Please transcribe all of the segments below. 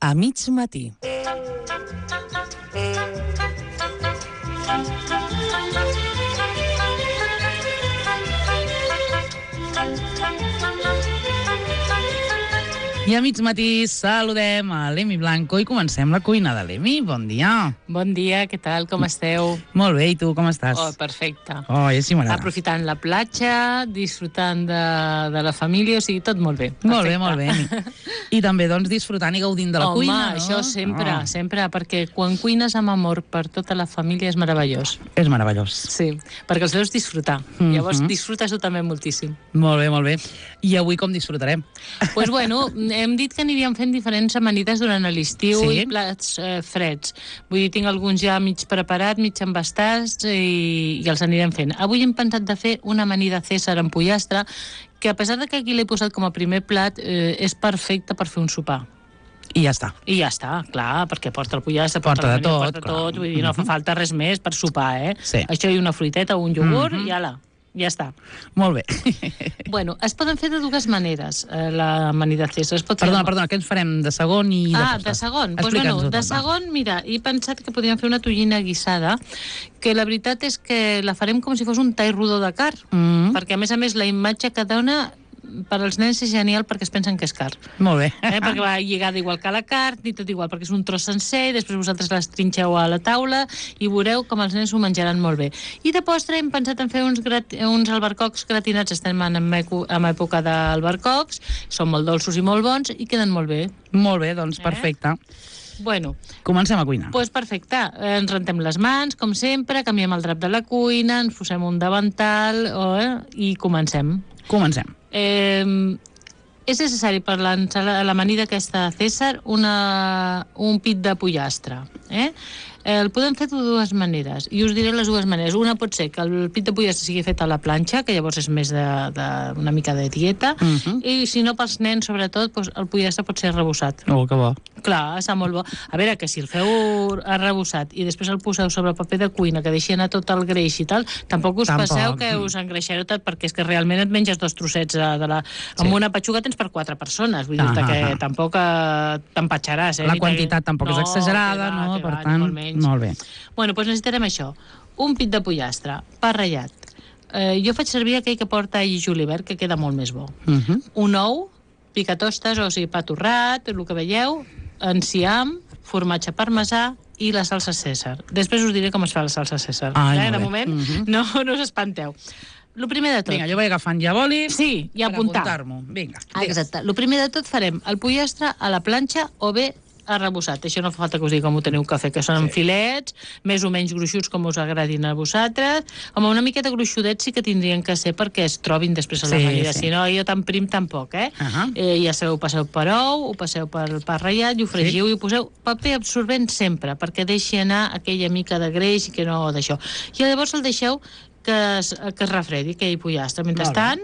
A mig matí. I a mig matí saludem a l'Emi Blanco i comencem la cuina de l'Emi. Bon dia. Bon dia, què tal? Com esteu? Molt bé, i tu com estàs? Oh, perfecte. Oh, ja sí m'agrada. Aprofitant la platja, disfrutant de la família, o sigui, tot molt bé. Perfecte. Molt bé, molt bé, Emi. I també, doncs, disfrutant i gaudint de la cuina, no? Home, això sempre, sempre, perquè quan cuines amb amor per tota la família és meravellós. És meravellós. Sí, perquè els veus disfrutar. Llavors disfrutes tu també moltíssim. Molt bé, molt bé. I avui com disfrutarem? Doncs bueno, hem dit que aniríem fent diferents amanides durant l'estiu i plats freds. Vull dir, tinc alguns ja mig preparats, mig embastats i els anirem fent. Avui hem pensat de fer una amanida Cèsar amb pollastre, que a pesar de que aquí l'he posat com a primer plat, és perfecte per fer un sopar. I ja està. I ja està, clar, perquè porta el pollastre, porta de tot, porta tot, vull dir, no fa falta res més per sopar, Sí. Això i una fruiteta o un iogurt i ala. Ja està. Molt bé. Bueno, es poden fer de dues maneres, l'amanida Cèsar. Perdona, què ens farem de segon i de postres? De segon. Doncs bueno, de segon, mira, he pensat que podríem fer una tonyina guisada, que la veritat és que la farem com si fos un tall rodó de carn, perquè a més la imatge que dona per als nens és genial perquè es pensen que és carn. Molt bé. Perquè va lligada igual que la carn i tot igual, perquè és un tros sencer i després vosaltres les trinxeu a la taula i veureu com els nens ho menjaran molt bé. I de postre hem pensat en fer uns albercocs gratinats. Estem en època d'albercocs, són molt dolços i molt bons i queden molt bé. Molt bé, doncs perfecte. Bueno, comencem a cuinar. Doncs perfecte. Ens rentem les mans, com sempre, canviem el drap de la cuina, ens posem un davantal i comencem. Comencem. És necessari per l'amanida aquesta Cèsar un pit de pollastre. El podem fer de dues maneres, i us diré les dues maneres. Una pot ser que el pit de pollastre sigui fet a la planxa, que llavors és més una mica de dieta, i si no, pels nens, sobretot, el pollastre pot ser arrebossat. Oh, que bo. Clar, està molt bo. A veure, que si el feu arrebossat i després el poseu sobre paper de cuina, que deixi anar tot el greix i tal, tampoc us passeu que us engreixareu tot, perquè és que realment et menges 2 trossets amb una petxuga tens per 4 persones, vull dir-te que tampoc t'empatxaràs. La quantitat tampoc és exagerada, no? Per tant, molt bé. Bueno, doncs necessitarem això. Un pit de pollastre, pa ratllat. Jo faig servir aquell que porta all i julivert, que queda molt més bo. Un ou, picatostes, o sigui, pa torrat, el que veieu, enciam, formatge parmesà i la salsa Cèsar. Després us diré com es fa la salsa Cèsar. De moment, no us espanteu. El primer de tot... Vinga, jo vaig agafant ja bolis i apuntar. Per apuntar-m'ho. Vinga. Exacte. El primer de tot farem el pollastre a la planxa o bé arrebossat. Això no fa falta que us digui com ho teniu que fer, que són filets, més o menys gruixuts com us agradin a vosaltres. Home, una miqueta gruixudets sí que tindrien que ser perquè es trobin després a l'amanida. Si no, jo tan prim tampoc, ja sabeu, passeu per ou, ho passeu per pa ratllat i ho fregiu i ho poseu paper absorbent sempre, perquè deixi anar aquella mica de greix i que no d'això. I llavors el deixeu que es refredi, aquell pollastre. Mentrestant,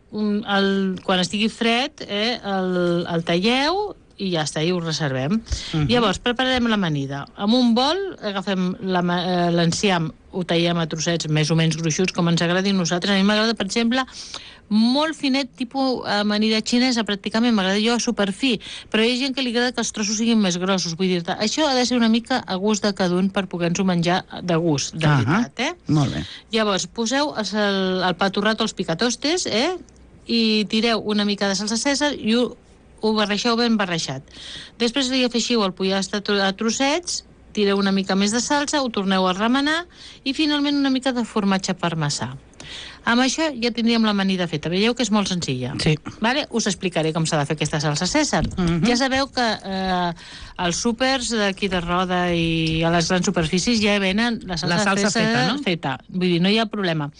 quan estigui fred, el talleu i ja està, i ho reservem. Llavors, prepararem l'amanida. Amb un bol, agafem l'enciam, ho tallem a trossets més o menys gruixuts, com ens agradi a nosaltres. A mi m'agrada, per exemple, molt finet, tipus amanida xinesa, pràcticament, m'agrada jo superfi, però hi ha gent que li agrada que els trossos siguin més grossos, vull dir-te. Això ha de ser una mica a gust de cada un per poder-nos-ho menjar de gust, de veritat, Molt bé. Llavors, poseu el pa torrat o els picatostes, i tireu una mica de salsa Cèsar i ho barreixeu ben barreixat. Després li afegiu el pollastre a trossets, tireu una mica més de salsa, ho torneu a remenar i finalment una mica de formatge parmesà. Amb això ja tindríem l'amanida feta. Veieu que és molt senzilla. Sí. Us explicaré com s'ha de fer aquesta salsa Cèsar. Ja sabeu que als súpers d'aquí de Roda i a les grans superfícies ja venen la salsa Cèsar feta. Vull dir, no hi ha problema.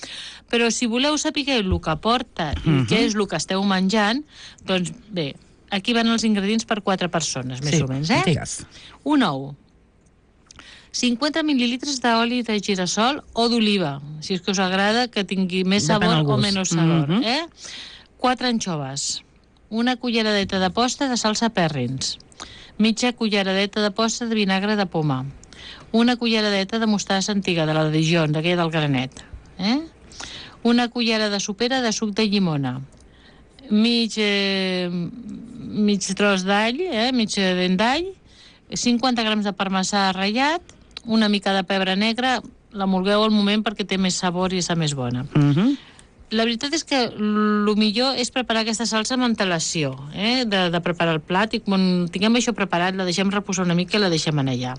Però si voleu saber el que porta i què és el que esteu menjant, doncs bé, aquí van els ingredients per 4 persones, més o menys, digues. Un ou, 50 mil·lilitres d'oli de girassol o d'oliva, si és que us agrada que tingui més sabor o menys sabor. 4 anxoves, una culleradeta de posta de salsa Perrins, mitja culleradeta de posta de vinagre de poma, una culleradeta de mostassa antiga, de la de Dijon, d'aquella del granet, una cullera de sopera de suc de llimona, mig tros d'all, mig dent d'all, 50 grams de parmesà ratllat, una mica de pebre negre, l'emulgueu al moment perquè té més sabor i és més bona. La veritat és que el millor és preparar aquesta salsa amb antelació, de preparar el plat, i quan tinguem això preparat la deixem reposar una mica i la deixem anar allà.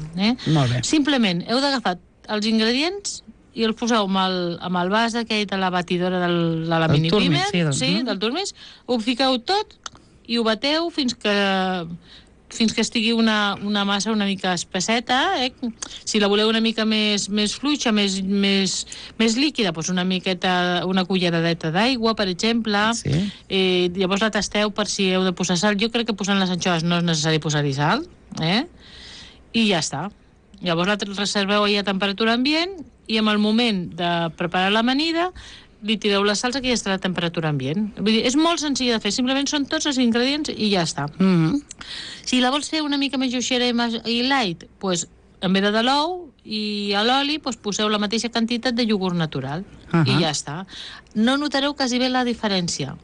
Molt bé. Simplement heu d'agafar els ingredients i els poseu amb el vas aquell de la batidora de la mini pimer, del turmis, ho fiqueu tot i ho bateu fins que estigui una massa una mica espesseta. Si la voleu una mica més fluixa, més líquida, doncs una culleradeta d'aigua, per exemple. Llavors la tasteu per si heu de posar sal. Jo crec que posant les anxoves no és necessari posar-hi sal, i ja està. Llavors la reserveu a temperatura ambient i en el moment de preparar l'amanida li tireu la salsa que ja estarà a temperatura ambient. Vull dir, és molt senzill de fer, simplement són tots els ingredients i ja està. Si la vols fer una mica més lleugera i light, doncs en vez de l'ou i a l'oli poseu la mateixa quantitat de iogurt natural i ja està. No notareu quasi bé la diferència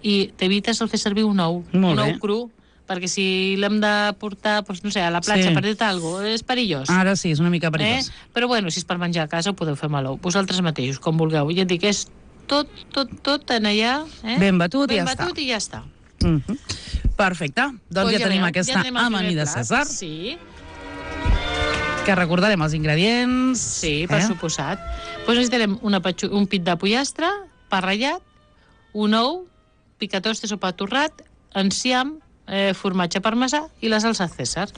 i t'evites el fer servir un ou cru, perquè si l'hem de portar, no sé, a la platja per dir-te alguna cosa, és perillós. Ara sí, és una mica perillós. Però bueno, si és per menjar a casa ho podeu fer amb l'ou. Vosaltres mateixos, com vulgueu. Ja et dic, és tot en allà. Ben batut i ja està. Ben batut i ja està. Perfecte. Doncs ja tenim aquesta amanida Cèsar. Sí. Que recordarem els ingredients. Sí, per suposat. Doncs necessitarem un pit de pollastre, pa ratllat, un ou, picatostes o pa torrat, enciam, formatge parmesà i la salsa Cèsar.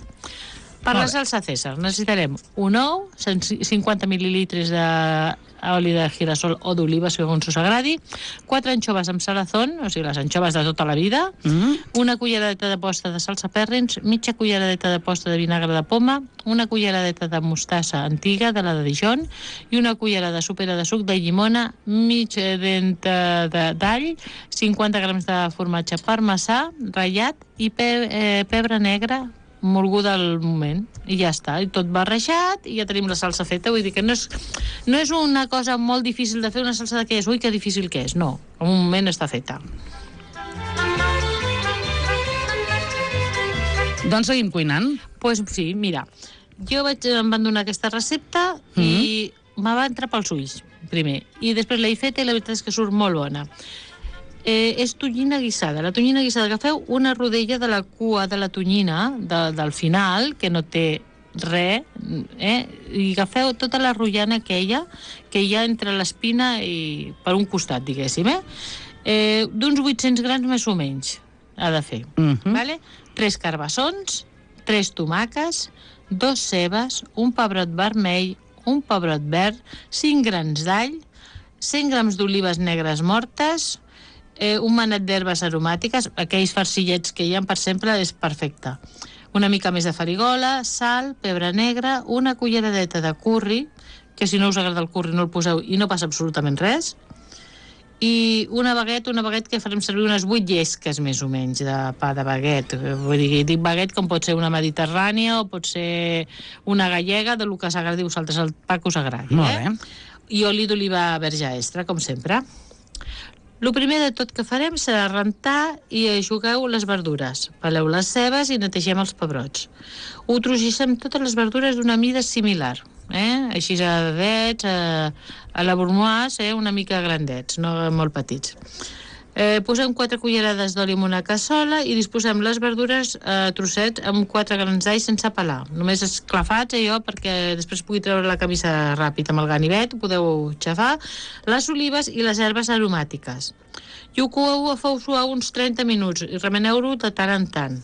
Per la salsa Cèsar necessitarem un ou, 50 mil·lilitres d'oli de girasol o d'oliva, segons us agradi, 4 anxoves amb salazón, o sigui, les anxoves de tota la vida, una culleradeta de posta de salsa Perrins, mitja culleradeta de posta de vinagre de poma, una culleradeta de mostassa antiga, de la de Dijon, i una cullerada sopera de suc de llimona, mig dent d'all, 50 grams de formatge parmesà, ratllat, i pebre negre, molguda al moment, i ja està, i tot barrejat, i ja tenim la salsa feta. Vull dir que no és una cosa molt difícil de fer una salsa d'aquelles, ui, que difícil que és, no, en un moment està feta. Doncs seguim cuinant. Doncs sí, mira, em van donar aquesta recepta i me va entrar pels ulls, primer, i després l'he feta i la veritat és que surt molt bona. És tonyina guisada. La tonyina guisada, agafeu una rodella de la cua de la tonyina, del final, que no té res, i agafeu tota la rotllana aquella que hi ha entre l'espina i per un costat, diguéssim, d'uns 800 grams més o menys ha de fer. 3 carbassons, 3 tomàquets, 2 cebes, un pebrot vermell, un pebrot verd, 5 grans d'all, 100 grams d'olives negres mortes, un manet d'herbes aromàtiques, aquells farcillets que hi ha per sempre, és perfecte. Una mica més de farigola, sal, pebre negre, una culleradeta de curri, que si no us agrada el curri no el poseu i no passa absolutament res, i una baguet que farem servir unes 8 llesques més o menys de pa de baguet. Vull dir, dic baguet com pot ser una mediterrània o pot ser una gallega, del que s'agradi a vosaltres, el pa que us agradi. Molt bé. I oli d'oliva verge extra, com sempre. El primer de tot que farem serà rentar i jugueu les verdures. Peleu les cebes i netegem els pebrots. Ho trogissem totes les verdures d'una mida similar, així a dedets, a la bourgeoise, una mica grandets, no molt petits. Posem 4 cullerades d'oli en una cassola i disposem les verdures a trossets amb 4 grans d'all sense pelar. Només esclafats, perquè després pugui treure la camisa ràpid amb el ganivet, ho podeu xafar, les olives i les herbes aromàtiques. I ho coeu a fou suau uns 30 minuts i remeneu-ho de tant en tant.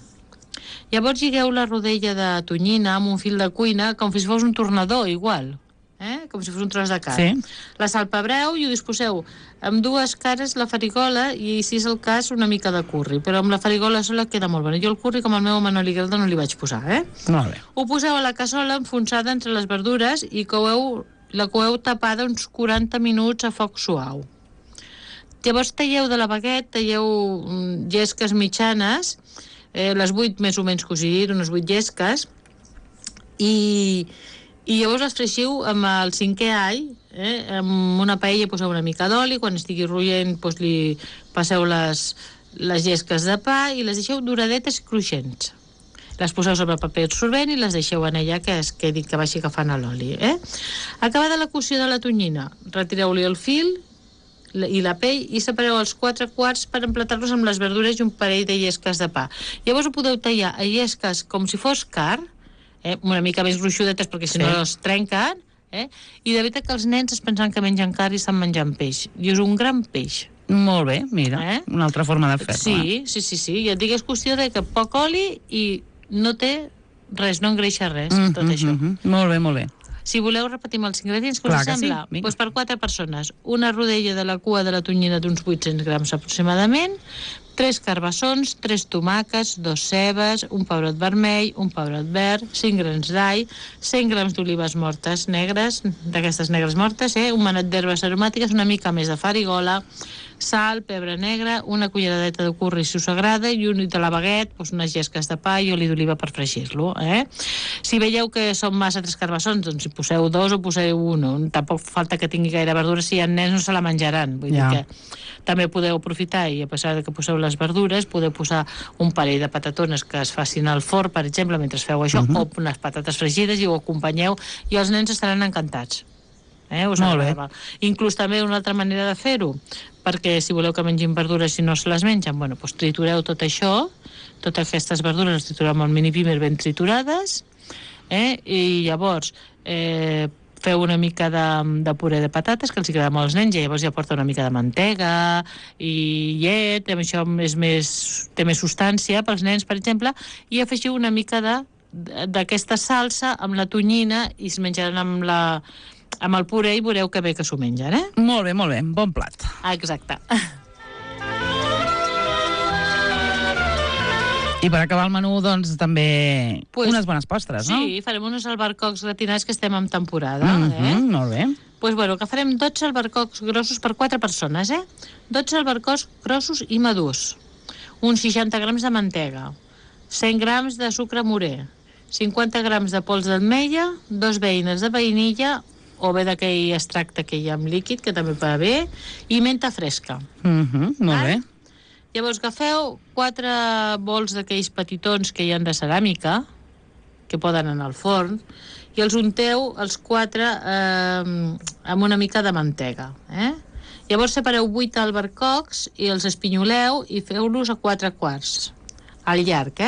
Llavors lligueu la rodella de tonyina amb un fil de cuina com si fos un tornador, igual. Com si fos un tros de carn. La salpebreu i ho disposeu amb 2 cares la farigola i, si és el cas, una mica de curri. Però amb la farigola sola queda molt bona. Jo el curri, com al meu home no li agrada, no li vaig posar. Molt bé. Ho poseu a la cassola enfonsada entre les verdures i la coeu tapada uns 40 minuts a foc suau. Llavors talleu de la baguet, talleu llesques mitjanes, les 8 més o menys que us he dit, unes 8 llesques, i llavors les freixiu amb el 5è all, amb una paella poseu una mica d'oli, quan estigui roient li passeu les les llesques de pa i les deixeu doradetes i cruixents. Les poseu sobre paper absorbent i les deixeu en ella que es quedi, que vagi agafant a l'oli. Acabada la cocció de la tonyina, retireu-li el fil i la pell i separeu els 4 quarts per emplatar-los amb les verdures i un parell de llesques de pa. Llavors ho podeu tallar a llesques com si fos carn, una mica més gruixudetes perquè si no es trenquen, i de veritat que els nens es pensen que mengen carn i estan menjant peix. I és un gran peix. Molt bé, mira, una altra forma de fer-ho. Sí. I et dic, és qüestió de que poc oli i no té res, no engreixa res, tot això. Molt bé, molt bé. Si voleu, repetim els ingredients, que us sembla? Doncs per 4 persones, una rodella de la cua de la tonyina d'uns 800 grams aproximadament, 3 carbassons, 3 tomàquets, 2 cebes, un pebrot vermell, un pebrot verd, 5 grans d'all, 100 grams d'olives mortes negres, d'aquestes negres mortes, un manet d'herbes aromàtiques, una mica més de farigola, sal, pebre negre, una culleradeta de curri si us agrada i un de la baguet, unes llesques de pa i oli d'oliva per fregir-lo. Si veieu que són massa 3 carbassons, doncs hi poseu 2 o poseu 1. Tampoc falta que tingui gaire verdura, si hi ha nens no se la menjaran. Vull dir que també podeu aprofitar i a pesar de que poseu les verdures, podeu posar un parell de patatones que es facin al forn, per exemple, mentre feu això, o unes patates fregides i ho acompanyeu i els nens estaran encantats. Molt bé. Inclús també una altra manera de fer-ho, perquè si voleu que mengin verdures i no se les mengen, doncs tritureu tot això, totes aquestes verdures les tritureu amb el mini pimer ben triturades, i llavors feu una mica de puré de patates, que els agrada molt als nens, i llavors ja porta una mica de mantega i llet, això té més substància pels nens, per exemple, i afegiu una mica d'aquesta salsa amb la tonyina i es menjaran amb el puré i veureu que bé que s'ho mengen, Molt bé, bon plat. Exacte. I per acabar el menú, doncs, també unes bones postres, no? Sí, farem uns albercocs gratinats que estem en temporada. Molt bé. Doncs bueno, que farem 12 albercocs grossos per 4 persones, 12 albercocs grossos i madurs, uns 60 grams de mantega, 100 grams de sucre morè, 50 grams de pols d'ametlla, 2 beines de vainilla, o bé d'aquell extracte que hi ha amb líquid, que també va bé, i menta fresca. Molt bé. Llavors agafeu 4 bols d'aquells petitons que hi ha de ceràmica, que poden anar al forn, i els unteu els 4 amb una mica de mantega. Llavors separeu 8 albercocs i els espinyoleu i feu-los a 4 quarts, al llarg,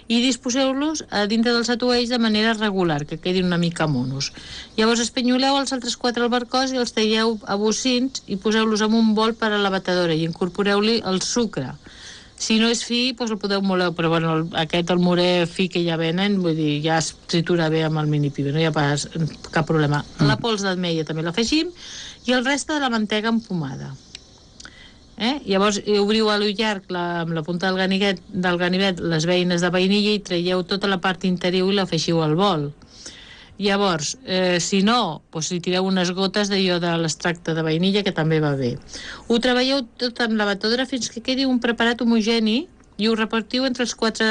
i disposeu-los a dintre dels atuells de manera regular, que quedin una mica monos. Llavors espinyoleu els altres 4 albercocs i els talleu a bocins i poseu-los en un bol per a la batedora i incorporeu-li el sucre. Si no és fi, doncs el podeu moler, però bueno, el morè fi que ja venen, vull dir, ja es tritura bé amb el mini pibe, no hi ha pas cap problema. La pols d'ametlla també l'afegim i el reste de la mantega empomada. Llavors obriu a l'ull llarg amb la punta del ganivet les beines de vainilla i traieu tota la part interior i l'afegiu al bol. Llavors, si no, hi tireu unes gotes d'allò de l'extracte de vainilla, que també va bé. Ho treballeu tot en la batedora fins que quedi un preparat homogeni i ho repartiu entre els 4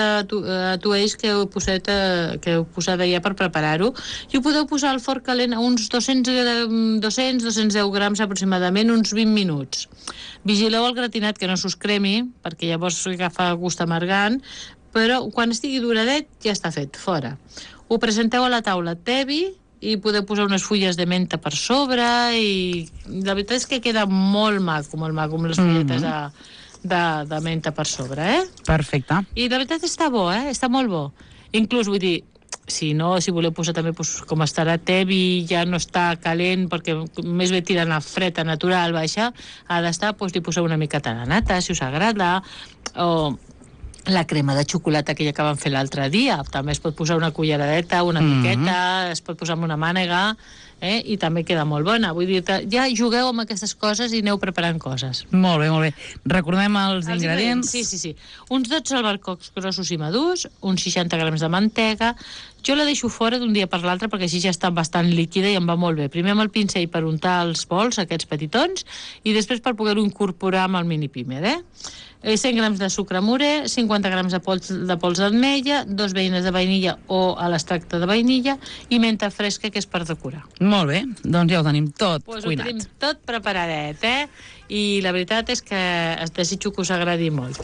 atuells que heu posat allà per preparar-ho, i ho podeu posar al forn calent a uns 200-210 grams aproximadament, uns 20 minuts. Vigileu el gratinat que no s'us cremi, perquè llavors agafa gust amargant, però quan estigui duradet ja està fet, fora. Ho presenteu a la taula tebi i podeu posar unes fulles de menta per sobre i la veritat és que queda molt maco amb les fulletes de menta per sobre, Perfecte. I la veritat està bo, està molt bo. Inclús, vull dir, si voleu posar també, com estarà tebi, ja no està calent, perquè més bé tirant a fred, a natural, baixa, ha d'estar, li poseu una miqueta de nata, si us agrada, o la crema de xocolata que ja que vam fer l'altre dia, també es pot posar una culleradeta, una miqueta, es pot posar amb una mànega, i també queda molt bona. Vull dir, ja jugueu amb aquestes coses i aneu preparant coses. Molt bé. Recordem els ingredients. Sí. Uns 12 albercocs grossos i madurs, uns 60 grams de mantega, Jo la deixo fora d'un dia per l'altre perquè així ja està bastant líquida i em va molt bé. Primer amb el pincell per untar els bols, aquests petitons, i després per poder-ho incorporar amb el mini pímer, 100 grams de sucre morè, 50 grams de pols d'ametlla, 2 beines de vainilla o a l'extracte de vainilla i menta fresca, que és per decorar. Molt bé, doncs ja ho tenim tot cuinat. Ho tenim tot preparadet, I la veritat és que desitjo que us agradi molt.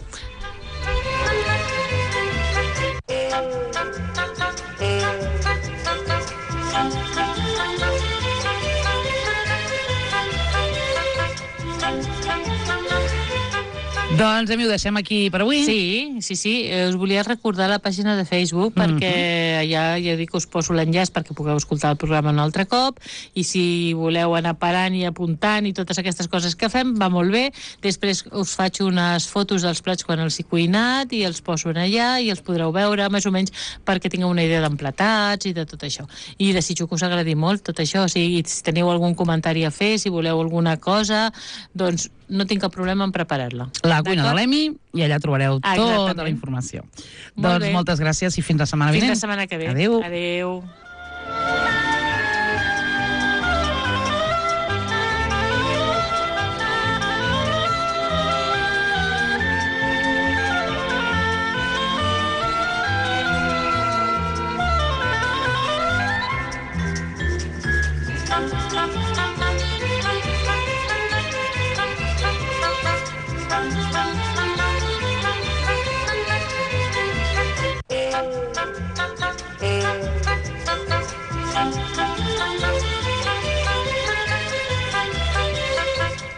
Doncs ho deixem aquí per avui. Sí. Us volia recordar la pàgina de Facebook perquè ja dic que us poso l'enllaç perquè pugueu escoltar el programa un altre cop i si voleu anar parant i apuntant i totes aquestes coses que fem, va molt bé. Després us faig unes fotos dels plats quan els he cuinat i els poso allà i els podreu veure més o menys perquè tingueu una idea d'emplatats i de tot això. I desitjo que us agradi molt tot això. O sigui, si teniu algun comentari a fer, si voleu alguna cosa, doncs no tinc cap problema en preparar-la. La cuina de l'Emi, i allà trobareu tota la informació. Doncs moltes gràcies i fins la setmana vinent. Fins la setmana que ve. Adéu. Adéu.